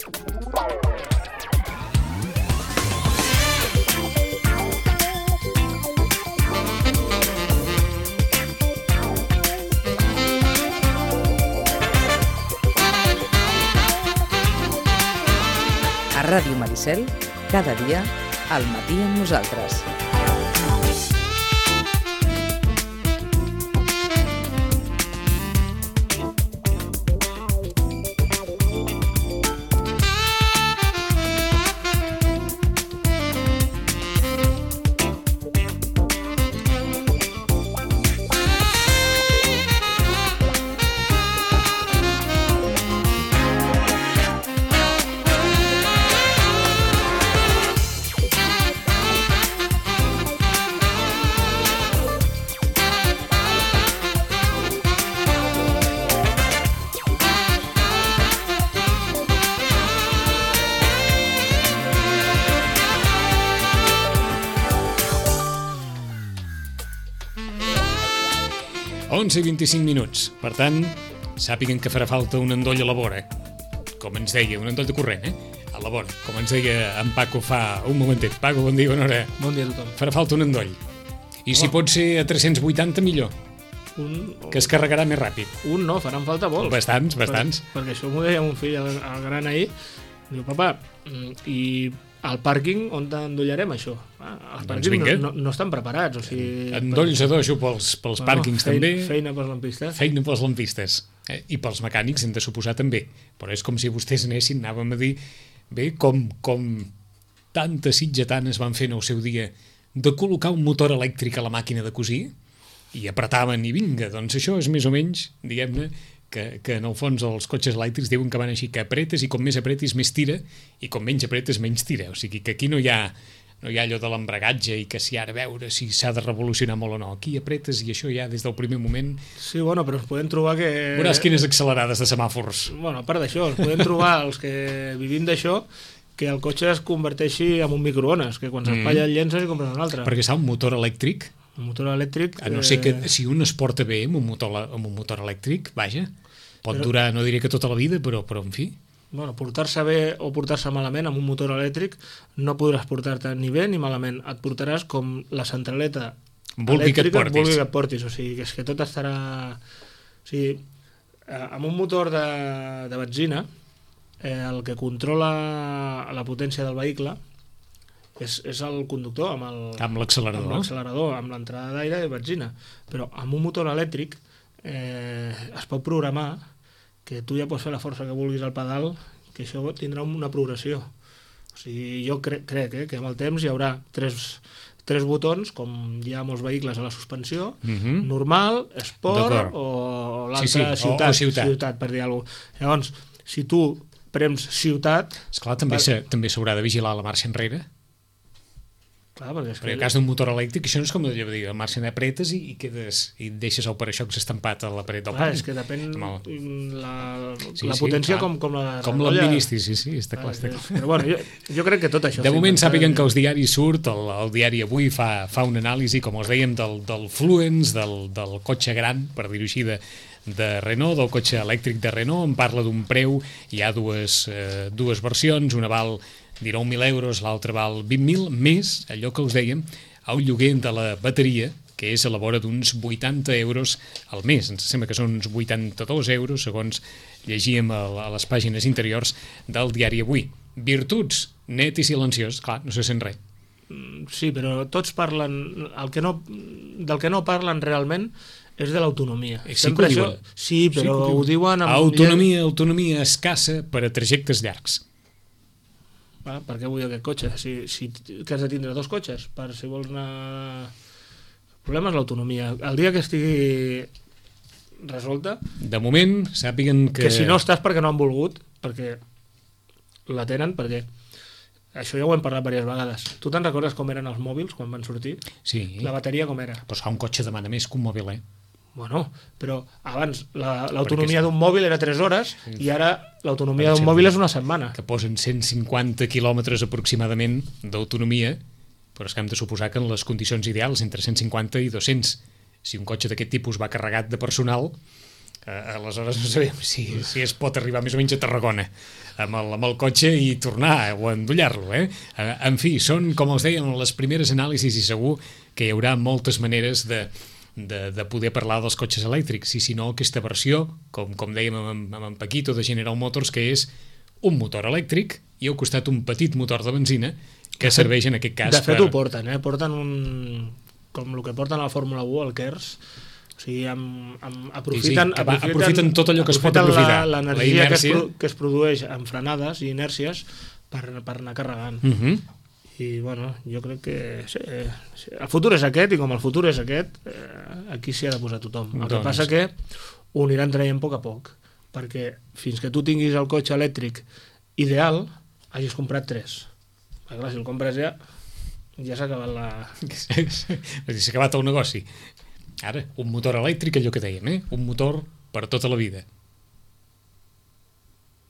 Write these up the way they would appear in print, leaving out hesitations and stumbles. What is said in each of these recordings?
A Ràdio Maricel, cada dia, al matí amb nosaltres. I 25 minuts. Per tant, sàpiguen que farà falta un endoll a la vora. Com ens deia, un endoll de corrent, a la vora. Com ens deia en Paco fa un momentet. Paco, bon dia, bona hora. Bon dia a tothom. Farà falta un endoll. I si pot ser a 380, millor. Que es carregarà més ràpid. Un no, faran falta molts. Bastants. Perquè això m'ho deia un fill al gran ahir. Diu, papa, i al pàrquing on endollarem això? Els pàrquings no estan preparats. O sigui, endolls a dojo pels pàrquings també. Feina pels lampistes. Feina pels lampistes. I pels mecànics hem de suposar també. Però és com si vostès anessin, anàvem a dir, bé, com tantes sitgetanes van fer en el seu dia de col·locar un motor elèctric a la màquina de cosir i apretaven i vinga. Doncs això és més o menys, diguem-ne, que en el fons els cotxes elèctrics diuen que van així, que apretes i com més apretis més tira i com menys apretes menys tira. O sigui que aquí no hi ha allò de l'embragatge i que si ara veure si s'ha de revolucionar molt o no. Aquí apretes i això ja des del primer moment... Sí, bueno, però ens podem trobar que... Veuràs quines accelerades de semàfors. Bueno, a part d'això, ens podem trobar els que vivim d'això que el cotxe es converteixi en un microones, que quan s'espatlla el llences i compres un altre. Perquè un motor elèctric... Un motor elèctric... A no ser que si un es porta bé amb un motor elèctric, vaja, pot durar, no diré que tota la vida, però en fi... Bueno, portar-se bé o portar-se malament amb un motor elèctric no podràs portar-te ni bé ni malament. Et portaràs com la centraleta elèctrica vulgui que et portis. O sigui, que és que tot estarà... O sigui, amb un motor de benzina, el que controla la potència del vehicle és el conductor amb l'accelerador, amb l'entrada d'aire i benzina. Però amb un motor elèctric es pot programar que tu ja pots fer la força que vulguis al pedal, que això tindrà una progressió. O sigui, jo crec que amb el temps hi haurà tres botons, com hi ha molts vehicles a la suspensió, normal, esport o l'altre ciutat, per dir alguna cosa. Llavors, si tu prems ciutat... Esclar, també s'haurà de vigilar la marxa enrere. Clar, perquè en el cas d'un motor elèctric això no és com allò de dir, el marxa apretes i deixes el paraixocs estampat a la paret del pany. És que depèn la potència com l'administris, sí, està clar. Però bueno, jo crec que tot això... De moment sàpiguen que els diaris surt, el diari Avui fa una anàlisi, com us dèiem, del Fluence, del cotxe gran, per dir-ho així, de Renault, del cotxe elèctric de Renault. En parla d'un preu, hi ha dues versions, una val 19.000 euros, l'altre val 20.000, més allò que us dèiem, el lloguer de la bateria, que és a la vora d'uns 80 euros al mes. Ens sembla que són uns 82 euros, segons llegíem a les pàgines interiors del diari Avui. Virtuts, net i silenciós, clar, no se sent res. Sí, però tots parlen... Del que no parlen realment és de l'autonomia. Sí que ho diuen. Sí, però ho diuen... Autonomia escassa per a trajectes llargs. Per què vull aquest cotxe? Que has de tindre dos cotxes per si vols anar... El problema és l'autonomia. El dia que estigui resolta... De moment, sàpiguen que... Que si no estàs perquè no han volgut, perquè la tenen, perquè... Això ja ho hem parlat diverses vegades. Tu te'n recordes com eren els mòbils quan van sortir? Sí. La bateria com era? Però un cotxe demana més que un mòbil, Bueno, però abans l'autonomia d'un mòbil era 3 hores i ara l'autonomia d'un mòbil és una setmana. Que posen 150 quilòmetres aproximadament d'autonomia, però és que hem de suposar que en les condicions ideals, entre 150 i 200, si un cotxe d'aquest tipus va carregat de personal, Aleshores no sabem si es pot arribar més o menys a Tarragona amb el cotxe i tornar o endollar-lo. En fi, són, com els dèiem, les primeres anàlisis i segur que hi haurà moltes maneres de poder parlar dels cotxes elèctrics, i si no, aquesta versió, com dèiem amb en Paquito de General Motors, que és un motor elèctric i al costat un petit motor de benzina que serveix en aquest cas. De fet ho porten, porten com el que porten a la Fórmula 1, el KERS. O sigui, aprofiten tot allò que es pot aprofitar. L'energia que es produeix en frenades i inèrcies per anar carregant. I bueno, jo crec que el futur és aquest, i com el futur és aquest, aquí s'hi ha de posar tothom. El que passa que ho aniran traient a poc, perquè fins que tu tinguis el cotxe elèctric ideal, hagis comprat 3. Perquè clar, si el compres ja s'ha acabat s'ha acabat el negoci. Ara, un motor elèctric, allò que dèiem, un motor per tota la vida.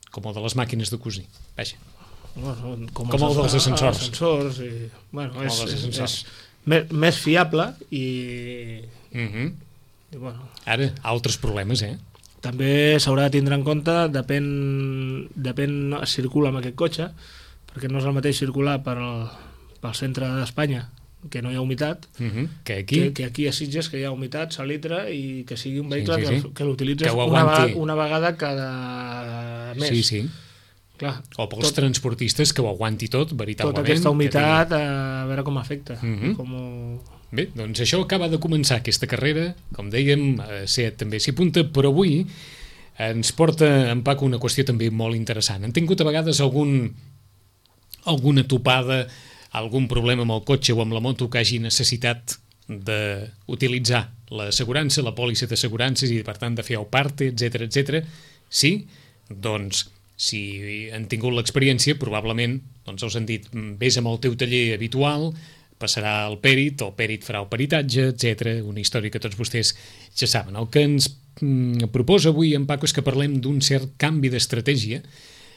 Com el de les màquines de cosir. Vaja. Com el dels ascensors. És més fiable i bueno. Ara, altres problemes, També s'haurà de tindre en compte, depèn es circula amb aquest cotxe, perquè no és el mateix circular pel centre d'Espanya, que no hi ha humitat, que aquí a Sitges, que hi ha humitat, salitre, i que sigui un vehicle que l'utilitzes una vegada cada mes. Sí. Clar, o pels transportistes que ho aguanti tot, veritablement. Tota aquesta humitat, a veure com afecta. Bé, doncs això acaba de començar, aquesta carrera, com dèiem, SEAT també s'hi apunta, però avui ens porta en Paco una qüestió també molt interessant. Han tingut a vegades alguna topada, algun problema amb el cotxe o amb la moto que hagi necessitat d'utilitzar l'assegurança, la pòlissa d'assegurances i per tant de fer el parte, etc. Sí? Doncs si han tingut l'experiència, probablement els han dit, vés amb el teu taller habitual, passarà el pèrit, el pèrit farà el peritatge, etc. Una història que tots vostès ja saben. El que ens proposa avui en Paco és que parlem d'un cert canvi d'estratègia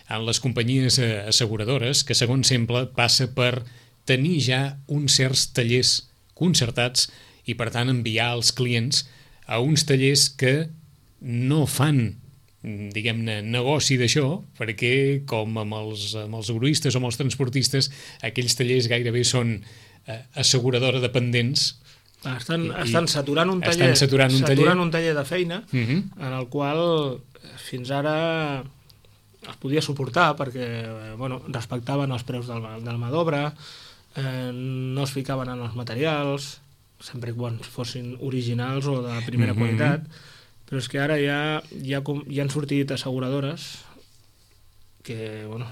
en les companyies asseguradores, que segons sembla passa per tenir ja uns certs tallers concertats i per tant enviar els clients a uns tallers que no fan, diguem-ne, negoci d'això, perquè com amb els egoistes o amb els transportistes, aquells tallers gairebé són asseguradora dependents. Estan saturant un taller de feina en el qual fins ara es podia suportar perquè respectaven els preus del mà d'obra, no es ficaven en els materials, sempre quan fossin originals o de primera qualitat, però és que ara ja han sortit asseguradores que en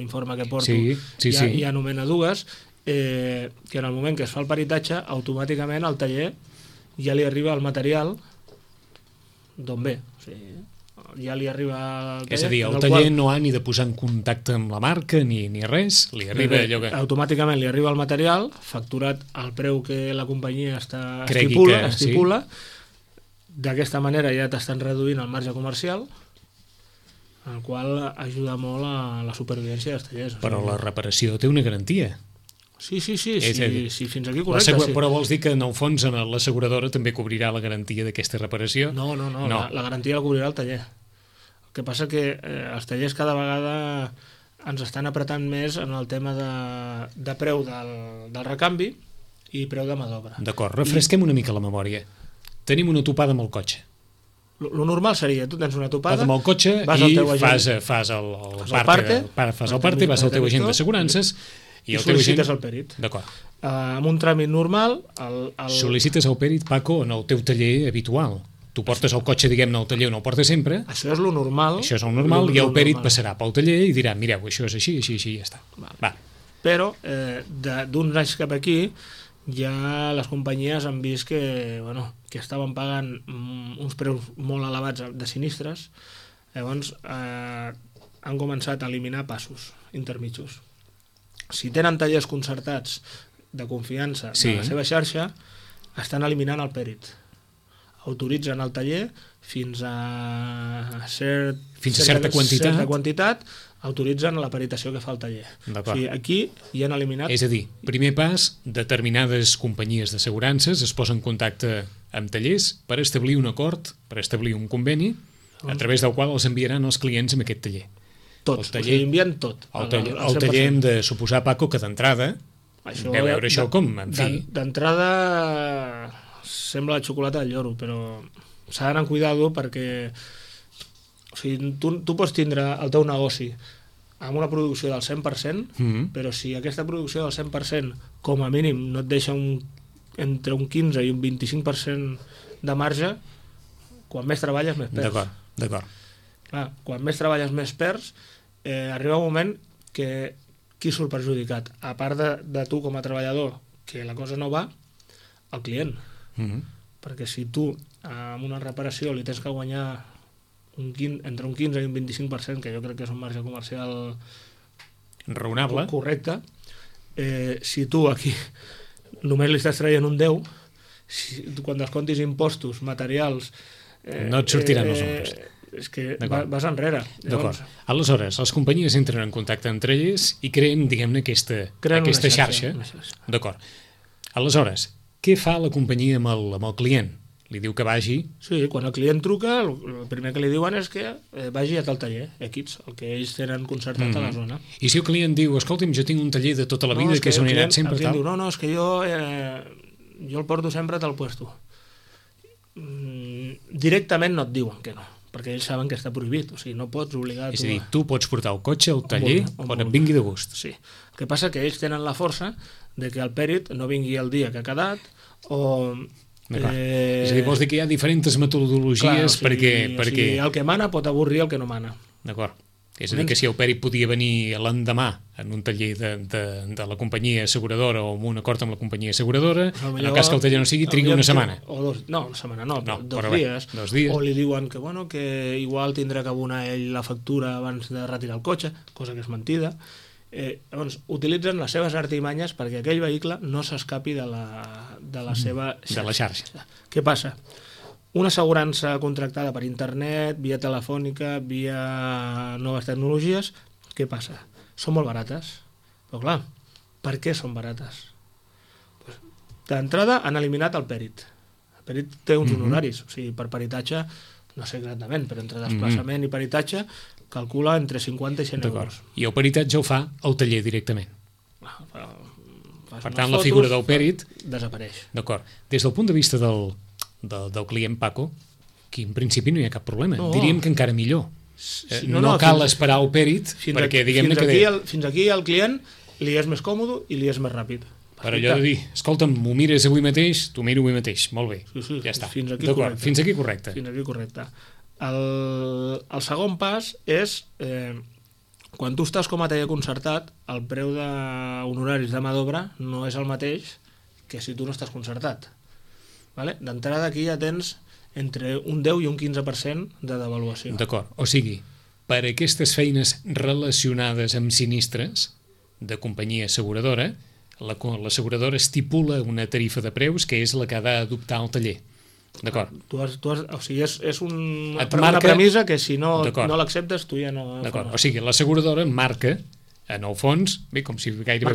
l'informe que porto ja anomena dues, que en el moment que es fa el peritatge automàticament al taller ja li arriba el material d'on ve, o sigui, ja li arriba el taller. És a dir, el taller no ha ni de posar en contacte amb la marca ni res, li arriba allò que... Automàticament li arriba el material, facturat al preu que la companyia estipula. D'aquesta manera ja t'estan reduint el marge comercial, el qual ajuda molt a la supervivència dels tallers. Però la reparació té una garantia. Sí, fins aquí correcte. Però vols dir que en el fons l'asseguradora també cobrirà la garantia d'aquesta reparació? No. La garantia la cobrirà el taller. El que passa que els tallers cada vegada ens estan apretant més en el tema de preu del recanvi i preu de mà d'obra. D'acord, refresquem una mica la memòria. Tenim una topada amb el cotxe. Lo normal seria, tu tens una topada amb el cotxe i fas el parte, vas al teu agent d'assegurances i sol·licites el pèrit. D'acord. Amb un tràmit normal... Sol·licites el pèrit, Paco, en el teu taller habitual. Tu portes el cotxe, diguem-ne, al taller on el portes sempre. Això és lo normal. Això és el normal, i el pèrit passarà pel taller i dirà, mireu, això és així, i ja està. Va. Però, d'uns anys cap aquí, ja les companyies han vist que estaven pagant uns preus molt elevats de sinistres, llavors han començat a eliminar passos intermitjos. Si tenen tallers concertats de confiança de la seva xarxa, estan eliminant el pèrit. Autoritzen el taller fins a certa quantitat, autoritzen la peritació que fa el taller. O sigui, aquí hi han eliminat... És a dir, primer pas, determinades companyies d'assegurances es posen en contacte amb tallers per establir un acord, per establir un conveni, a través del qual els enviaran els clients amb aquest taller. Tot, o sigui, envien tot. El taller hem de suposar, Paco, que d'entrada Això, deu veure això com, en fi... D'entrada sembla la xocolata del lloro, però s'ha d'anar amb cuidado perquè o sigui, tu pots tindre el teu negoci amb una producció del 100%, però si aquesta producció del 100% com a mínim no et deixa entre un 15 i un 25% de marge, quan més treballes més perds. D'acord. Clar, quan més treballes més perds, arriba un moment que qui surt perjudicat? A part de tu com a treballador, que la cosa no va, el client. Perquè si tu amb una reparació li tens que guanyar entre un 15 i un 25%, que jo crec que és un marge comercial raonable, correcte, si tu aquí només li estàs traient un 10, quan descomptis impostos, materials... no et sortiran els números. És que vas enrere. D'acord. Aleshores, les companyies entren en contacte entre elles i creen, diguem-ne, aquesta xarxa. D'acord. Aleshores, què fa la companyia amb el client? Li diu que vagi... Sí, quan el client truca, el primer que li diuen és que vagi a tal taller, X, el que ells tenen concertat a la zona. I si el client diu, escolta'm, jo tinc un taller de tota la vida que és on he anat sempre... El client diu, no, és que jo el porto sempre a tal puesto. Directament no et diuen que no, perquè ells saben que està prohibit, o sigui, no pots obligar... És a dir, tu pots portar el cotxe al taller on et vingui de gust. Sí. El que passa que ells tenen la força de que el pèrit no vingui el dia que ha quedat, o... És a dir, vols dir que hi ha diferents metodologies perquè... O sigui, el que mana pot avorrir el que no mana. D'acord. És a dir, que si el pèrit podia venir l'endemà en un taller de la companyia asseguradora o amb un acord amb la companyia asseguradora, en el cas que el taller no sigui, trigui una setmana. No, una setmana no, dos dies. O li diuen que igual tindrà que abonar ell la factura abans de retirar el cotxe, cosa que és mentida. Llavors, utilitzen les seves artimanyes perquè aquell vehicle no s'escapi de la seva xarxa. De la xarxa. Què passa? Una assegurança contractada per internet, via telefònica, via noves tecnologies, què passa? Són molt barates. Però clar, per què són barates? D'entrada han eliminat el pèrit. El pèrit té uns honoraris, o sigui, per peritatge, no sé exactament, però entre desplaçament i peritatge calcula entre 50 i 100 euros. I el peritatge el fa el taller directament. Per tant, la fotos, figura del pèrit desapareix. D'acord. Des del punt de vista del client, Paco, que en principi no hi ha cap problema. Diríem que encara millor. No cal esperar el pèrit perquè diguem-ne que... Fins aquí al client li és més còmode i li és més ràpid. Per allò de dir, escolta'm, m'ho mires avui mateix, t'ho miro avui mateix. Molt bé, ja està. Fins aquí correcte. Fins aquí correcte. Fins aquí correcte. El segon pas és quan tu estàs com a taller concertat, el preu d'honoraris de mà d'obra no és el mateix que si tu no estàs concertat. D'entrada aquí ja tens entre un 10 i un 15% de devaluació. D'acord, o sigui, per aquestes feines relacionades amb sinistres de companyia asseguradora, l'asseguradora estipula una tarifa de preus que és la que ha d'adoptar el taller. D'acord. O sigui, és una premissa que si no l'acceptes tu ja no... D'acord, o sigui, l'asseguradora marca, en el fons, bé, com si gairebé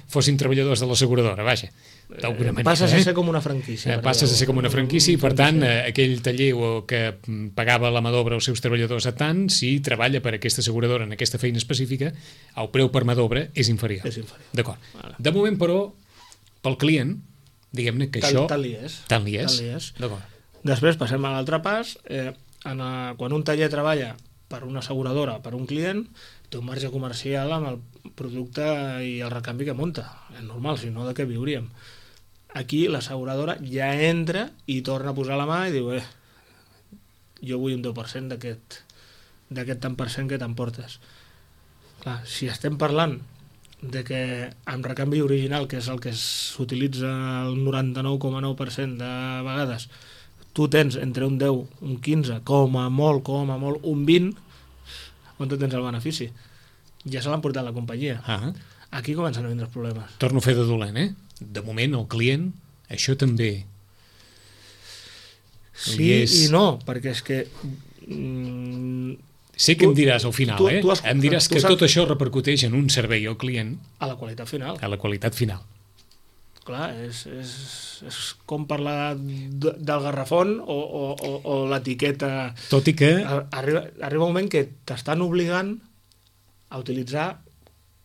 fossin treballadors de l'asseguradora, vaja, d'alguna manera. Passes a ser com una franquícia. Passes a ser com una franquícia i, per tant, aquell taller que pagava la mà d'obra als seus treballadors a tant, si treballa per aquesta asseguradora en aquesta feina específica, el preu per mà d'obra és inferior. D'acord. De moment, però, pel client, diguem-ne que això... Tant li és. Tant li és. D'acord. Després passem a l'altre pas. Quan un taller treballa per una asseguradora, per un client, té un marge comercial amb el producte i el recanvi que munta. És normal, si no, de què viuríem? Aquí l'asseguradora ja entra i torna a posar la mà i diu jo vull un 10% d'aquest tant per cent que t'emportes. Clar, si estem parlant de que amb recanvi original, que és el que s'utilitza el 99,9% de vegades, tu tens entre un 10, un 15, com a molt, un 20, on tu tens el benefici? Ja se l'han portat la companyia. Aquí comencen a vindre els problemes. Torno a fer de dolent, De moment, el client, això també... Sí i no, perquè és que... Sé que em diràs al final, Em diràs que tot això repercuteix en un servei al client... A la qualitat final. A la qualitat final. clar, és com parlar del garrafón o l'etiqueta. Tot i que... Arriba un moment que t'estan obligant a utilitzar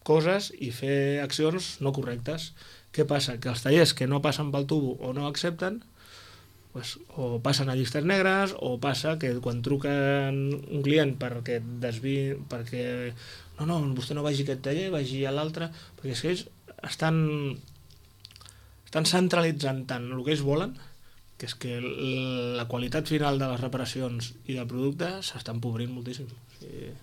coses i fer accions no correctes. Què passa? Que els tallers que no passen pel tubo o no accepten, pues, o passen a llistes negres, o passa que quan truquen un client perquè desviï, perquè no, vostè no vagi a aquest taller, vagi a l'altre, perquè és que ells estan centralitzant tant el que ells volen, que és que la qualitat final de les reparacions i del producte s'està empobrint moltíssim. O sigui,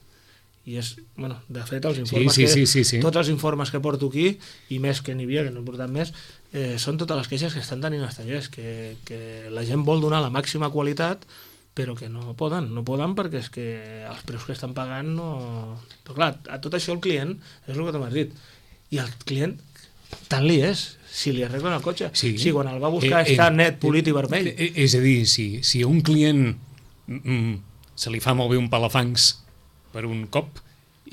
i és, bueno, de fet els informes sí. Tots els informes que porto aquí, i més que n'hi havia, que no he portat més, són totes les queixes que estan tenint els tallers, que la gent vol donar la màxima qualitat, però que no poden perquè és que els preus que estan pagant no... Però clar, a tot això el client, és el que t'has dit, i el client tant li és, si li arreglen el cotxe, si quan el va buscar està net, polit i vermell. És a dir, si a un client se li fa molt bé un palafangs per un cop,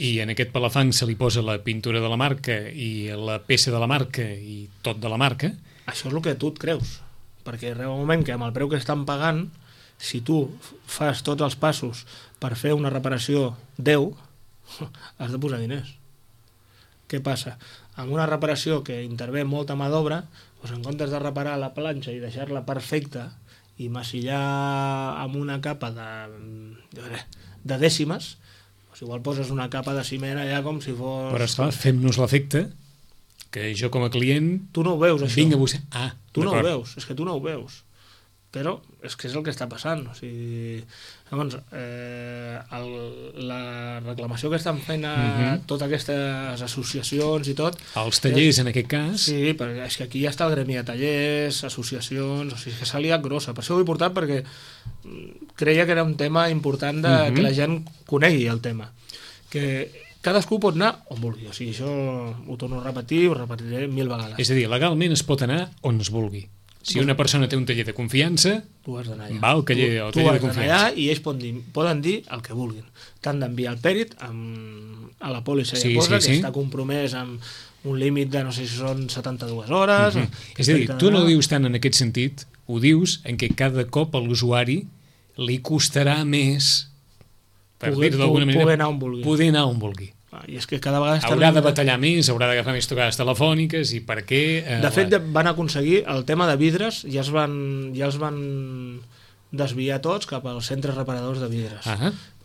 i en aquest palafang se li posa la pintura de la marca i la peça de la marca i tot de la marca... Això és el que tu et creus, perquè arriba un moment que amb el preu que estan pagant, si tu fas tots els passos per fer una reparació 10, has de posar diners. Què passa? Amb una reparació que intervé molta mà d'obra, doncs en comptes de reparar la planxa i deixar-la perfecta i massillar amb una capa de dècimes, doncs igual poses una capa de ciment allà com si fos... Però esclar, fem-nos l'efecte que jo com a client... Tu no ho veus, això. Vinc a buscar... Tu no ho veus, és que tu no ho veus. Però és que és el que està passant. O sigui, llavors, la reclamació que estan fent a totes aquestes associacions i tot... Els tallers, en aquest cas... Sí, perquè és que aquí ja està el gremi de tallers, associacions... O sigui, que s'ha liat grossa. Per això ho he portat, perquè creia que era un tema important que la gent conegui el tema. Que cadascú pot anar on vulgui. O sigui, això ho torno a repetir, ho repetiré 1000 vegades. És a dir, legalment es pot anar on es vulgui. Si una persona té un taller de confiança, tu has d'anar allà. Va al taller de confiança. Allà i ells poden dir el que vulguin. T'han d'enviar el pèrit a la pòlissa que està compromès amb un límit de no sé si són 72 hores... És a dir, tu no ho dius tant en aquest sentit, ho dius en què cada cop a l'usuari li costarà més, per dir-ho d'alguna manera, poder anar on vulgui. I és que cada vegada haurà de batallar més, haurà d'agafar més trucades telefòniques i per què... De fet, van aconseguir el tema de vidres, ja els van desviar tots cap als centres reparadors de vidres.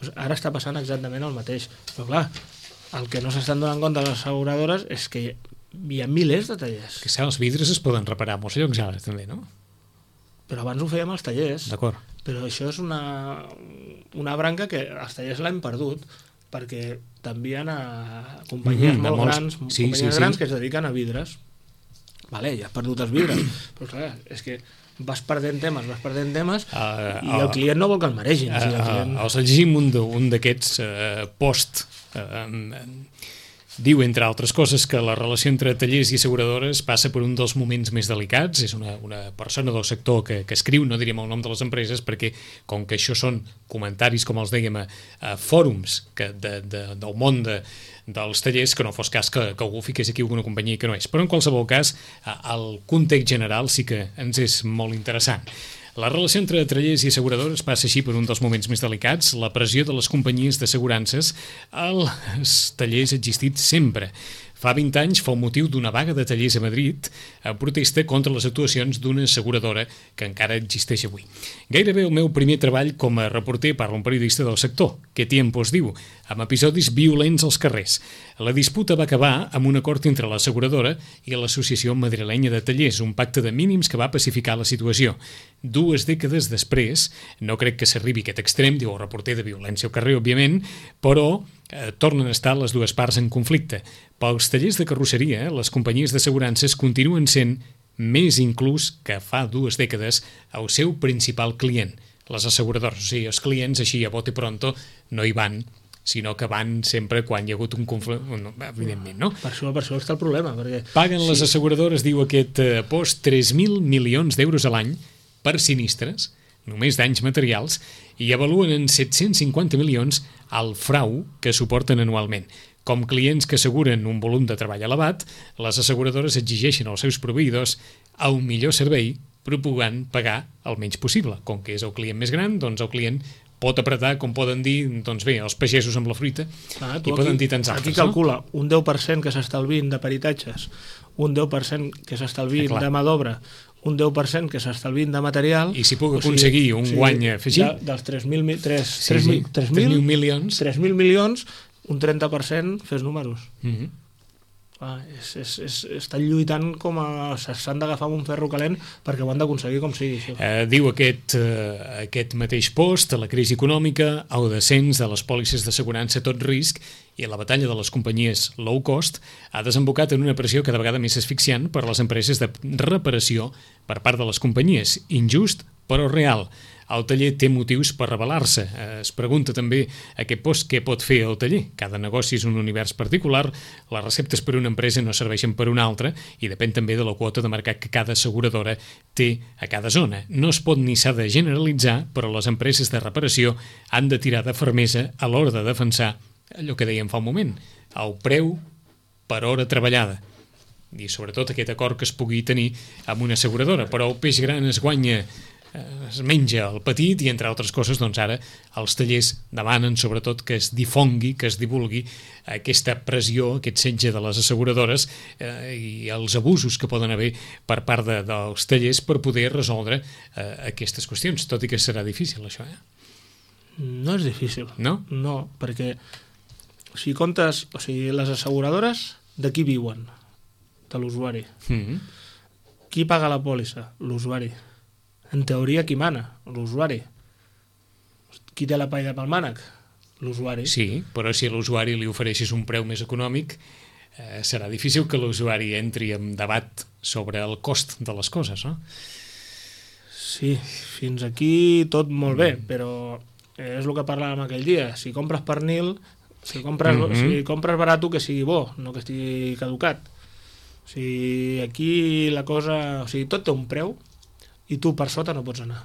Pues ara està passant exactament el mateix. Però clar, el que no s'estan donant compte les asseguradores és que hi ha milers de tallers. Que els vidres es poden reparar a molts llocs ara, també, no? Però abans ho fèiem als tallers. D'acord. Però això és una branca que els tallers l'hem perdut, perquè t'envien a companyies molt grans, grans que es dediquen a vidres. Vale, ja has perdut els vidres, però clar, és que vas perdent temes i el client no vol que el maregin. Els llegim un d'aquests post diu, entre altres coses, que la relació entre tallers i asseguradores passa per un dels moments més delicats. És una persona del sector que escriu, no diríem el nom de les empreses, perquè com que això són comentaris, com els dèiem, a fòrums del món dels tallers, que no fos cas que algú fiqués aquí alguna companyia que no és. Però en qualsevol cas, el context general sí que ens és molt interessant. La relació entre tallers i asseguradores passa així per un dels moments més delicats. La pressió de les companyies d'assegurances als tallers ha existit sempre. Fa 20 anys fou motiu d'una vaga de tallers a Madrid a protesta contra les actuacions d'una asseguradora que encara existeix avui. Gairebé el meu primer treball com a reporter, parla un periodista del sector, que tiempos diu, amb episodis violents als carrers. La disputa va acabar amb un acord entre l'asseguradora i l'Associació Madrilenya de Tallers, un pacte de mínims que va pacificar la situació. 2 dècades després, no crec que s'arribi a aquest extrem, diu el reporter, de violència al carrer, òbviament, però tornen a estar les dues parts en conflicte. Pels tallers de carrosseria, les companyies d'assegurances continuen sent, més inclús que fa 2 dècades, el seu principal client, les asseguradores. O sigui, els clients així a bote pronto no hi van, sinó que van sempre quan hi ha hagut un conflicte, evidentment, no? Per això està el problema. Perquè... Paguen les asseguradores, diu aquest post, 3.000 milions d'euros a l'any per sinistres només danys materials, i avaluen en 750 milions el frau que suporten anualment. Com clients que asseguren un volum de treball elevat, les asseguradores exigeixen als seus proveïdors el millor servei, propugant pagar el menys possible. Com que és el client més gran, doncs el client pot apretar, com poden dir, doncs bé, els pagesos amb la fruita, i poden dir tants altres. Aquí calcula un 10% que s'estalvin de peritatges, un 10% que s'estalvin de mà d'obra, un 10% que s'estalvin de material... I si puc aconseguir un guany afegit... Dels 3.000 milions... 3.000 milions, un 30% fes números. Estan lluitant com s'han d'agafar amb un ferro calent perquè ho han d'aconseguir com sigui això. Diu aquest mateix post, la crisi econòmica, el descens de les pòlisses d'assegurança a tot risc i la batalla de les companyies low cost ha desembocat en una pressió cada vegada més asfixiant per a les empreses de reparació per part de les companyies. Injust, però real. El taller té motius per rebel·lar-se. Es pregunta també aquest post què pot fer el taller. Cada negoci és un univers particular, les receptes per una empresa no serveixen per una altra i depèn també de la quota de mercat que cada asseguradora té a cada zona. No es pot ni s'ha de generalitzar, però les empreses de reparació han de tirar de fermesa a l'hora de defensar allò que dèiem fa un moment, el preu per hora treballada. I sobretot aquest acord que es pugui tenir amb una asseguradora. Però el peix gran es guanya, es menja el petit i, entre altres coses, doncs ara els tallers demanen sobretot que es difongui, que es divulgui aquesta pressió, aquest setge de les asseguradores i els abusos que poden haver per part dels tallers per poder resoldre aquestes qüestions, tot i que serà difícil això, No és difícil. No? No, perquè si comptes, les asseguradores de qui viuen? De l'usuari. Qui paga la pòlissa? L'usuari. En teoria, qui mana? L'usuari. Qui té la paella pel mànec? L'usuari. Sí, però si a l'usuari li ofereixes un preu més econòmic, serà difícil que l'usuari entri en debat sobre el cost de les coses, no? Sí, fins aquí tot molt bé, però és el que parlàvem aquell dia. Si compres pernil, si compres barato, que sigui bo, no que estigui caducat. Aquí la cosa... tot té un preu i tu per sota no pots anar.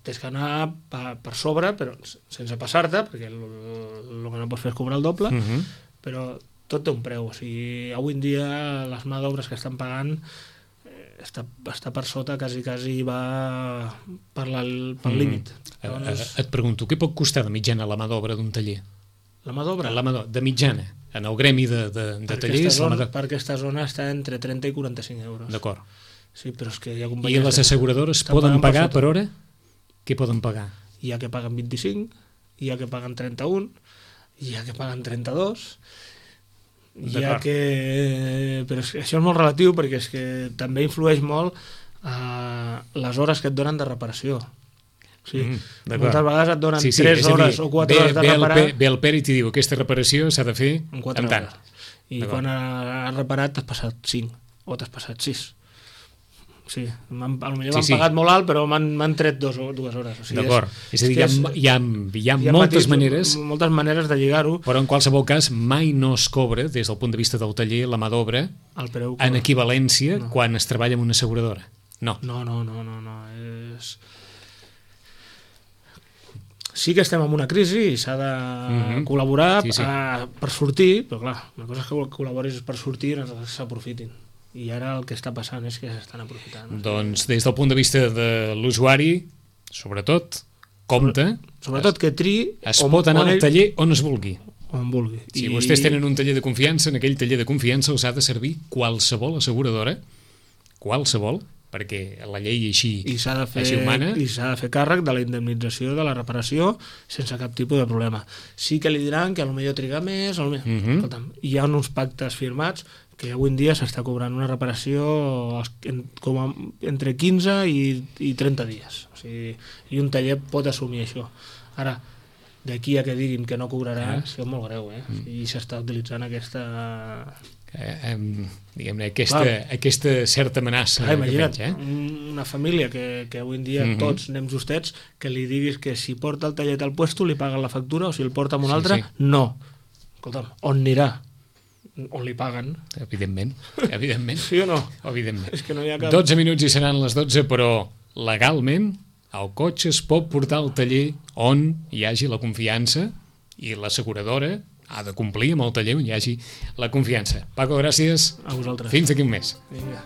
Tens que anar per sobre, però sense passar-te, perquè el que no pots fer és cobrar el doble, però tot té un preu. Avui en dia les mà d'obres que estan pagant està per sota, quasi va per límit. Et pregunto, què pot costar de mitjana la mà d'obra d'un taller? La mà d'obra? De mitjana, en el gremi de tallers... Per aquesta zona està entre 30 i 45 euros. D'acord. Sí, però és que hi ha companyies... I les asseguradores poden pagar per hora? Què poden pagar? Hi ha que paguen 25, hi ha que paguen 31, hi ha que paguen 32, hi ha que... Però això és molt relatiu perquè és que també influeix molt les hores que et donen de reparació. Moltes vegades et donen 3 hores o 4 hores de reparar... Ve el pèrit i diu aquesta reparació s'ha de fer en 4 hores. I quan has reparat t'has passat 5 o t'has passat 6. Sí, potser m'han pagat molt alt, però m'han tret 2 hores. D'acord. És a dir, hi ha moltes maneres... Moltes maneres de lligar-ho. Però en qualsevol cas mai no es cobra, des del punt de vista del taller, la mà d'obra en equivalència quan es treballa amb una asseguradora. No. No. Sí que estem en una crisi i s'ha de col·laborar per sortir, però clar, una cosa és que col·laboris per sortir i no s'aprofitin. I ara el que està passant és que s'estan aprofitant. Doncs des del punt de vista de l'usuari, sobretot, compte... Sobretot que tri... Es pot anar al taller on es vulgui. On vulgui. Si vostès tenen un taller de confiança, en aquell taller de confiança els ha de servir qualsevol asseguradora, qualsevol, perquè la llei així ho mana. I s'ha de fer càrrec de la indemnització de la reparació sense cap tipus de problema. Sí que li diran que potser triga més, Escolta'm, hi ha uns pactes firmats que avui en dia s'està cobrant una reparació entre 15 i 30 dies. I un taller pot assumir això. Ara, d'aquí a que diguin que no cobrarà, és molt greu, I s'està utilitzant aquesta... diguem-ne, aquesta certa amenaça. Imagina't, una família que avui en dia tots anem justets, que li diguis que si porta el tallet al puesto li paguen la factura o si el porta amb un altre, no. Escolta'm, on anirà? On li paguen? Evidentment. Sí o no? Evidentment. És que no hi ha cap... 12 minuts i seran les 12, però legalment el cotxe es pot portar al taller on hi hagi la confiança i l'asseguradora ha de complir amb el taller on hi hagi la confiança. Paco, gràcies. A vosaltres. Fins d'aquí un mes. Vinga.